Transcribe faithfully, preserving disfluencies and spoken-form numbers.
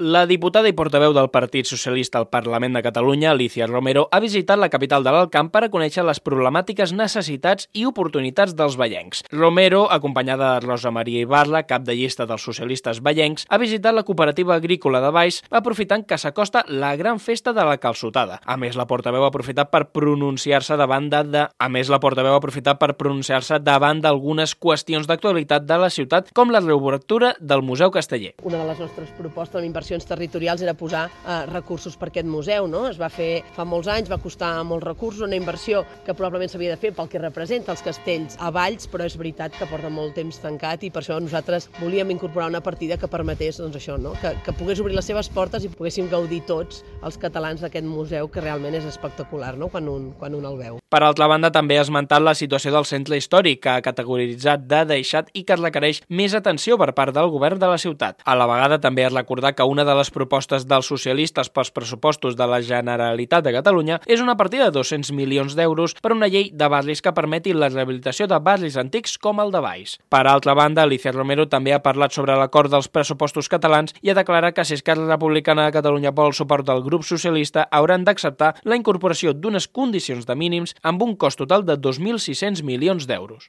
La diputada i portaveu del Partit Socialista al Parlament de Catalunya, Alícia Romero, ha visitat la capital de l'Alt Camp per a conèixer les problemàtiques, necessitats i oportunitats dels vallencs. Romero, acompanyada de Rosa Maria Ibarra, cap de llista dels socialistes vallencs, ha visitat la cooperativa agrícola de Valls, aprofitant que s'acosta la gran festa de la calçotada. A més, la portaveu ha aprofitat per pronunciar-se davant de... de... A més, la portaveu ha aprofitat per pronunciar-se davant d'algunes qüestions d'actualitat de la ciutat, com la reobertura del Museu Casteller. Una de les nostres propostes amb inversions territorials era posar eh, recursos per aquest museu, no? Es va fer fa molts anys, va costar molts recursos, una inversió que probablement s'havia de fer pel que representa els castells a Valls, però és veritat que porta molt temps tancat i per això nosaltres volíem incorporar una partida que permetés, doncs això, no? que, que pogués obrir les seves portes i poguéssim gaudir tots els catalans d'aquest museu, que realment és espectacular, no? quan, un, quan un el veu. Per altra banda, també ha esmentat la situació del centre històric, que ha categoritzat de deixat i que requereix més atenció per part del govern de la ciutat. A la vegada també ha recordat que una de les propostes dels socialistes pels pressupostos de la Generalitat de Catalunya és una partida de dos-cents milions d'euros per una llei de barris que permeti la rehabilitació de barris antics com el de Valls. Per altra banda, Alícia Romero també ha parlat sobre l'acord dels pressupostos catalans i ha declarat que si Esquerra Republicana de Catalunya vol el suport del grup socialista, hauran d'acceptar la incorporació d'unes condicions de mínims amb un cost total de dos mil sis-cents milions d'euros.